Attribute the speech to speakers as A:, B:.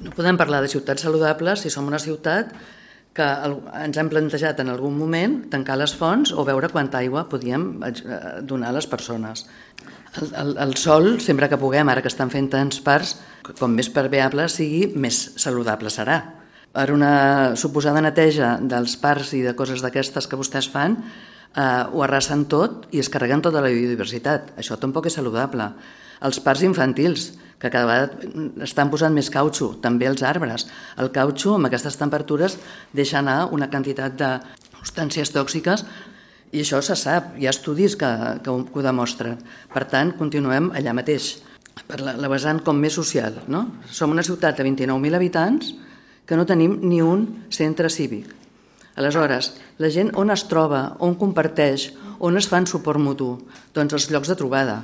A: No podem parlar de ciutats saludables si som una ciutat que ens hem plantejat en algun moment tancar les fonts o veure quanta aigua podíem donar a les persones. El sol, sempre que puguem, ara que estan fent tants parcs, com més permeable sigui, més saludable serà. Per una suposada neteja dels parcs i de coses d'aquestes que vostès fan, ho arrasen tot i es carreguen tota la biodiversitat. Això tampoc és saludable. Els parcs infantils, que cada vegada estan posant més cautxo, també els arbres. El cautxo, amb aquestes temperatures, deixa anar una quantitat de substàncies tòxiques i això se sap, hi ha estudis que ho demostren. Per tant, continuem allà mateix, per la vessant com més social. No? Som una ciutat de 29.000 habitants que no tenim ni un centre cívic. Aleshores, la gent on es troba, on comparteix, on es fan suport mutu? Doncs els llocs de trobada.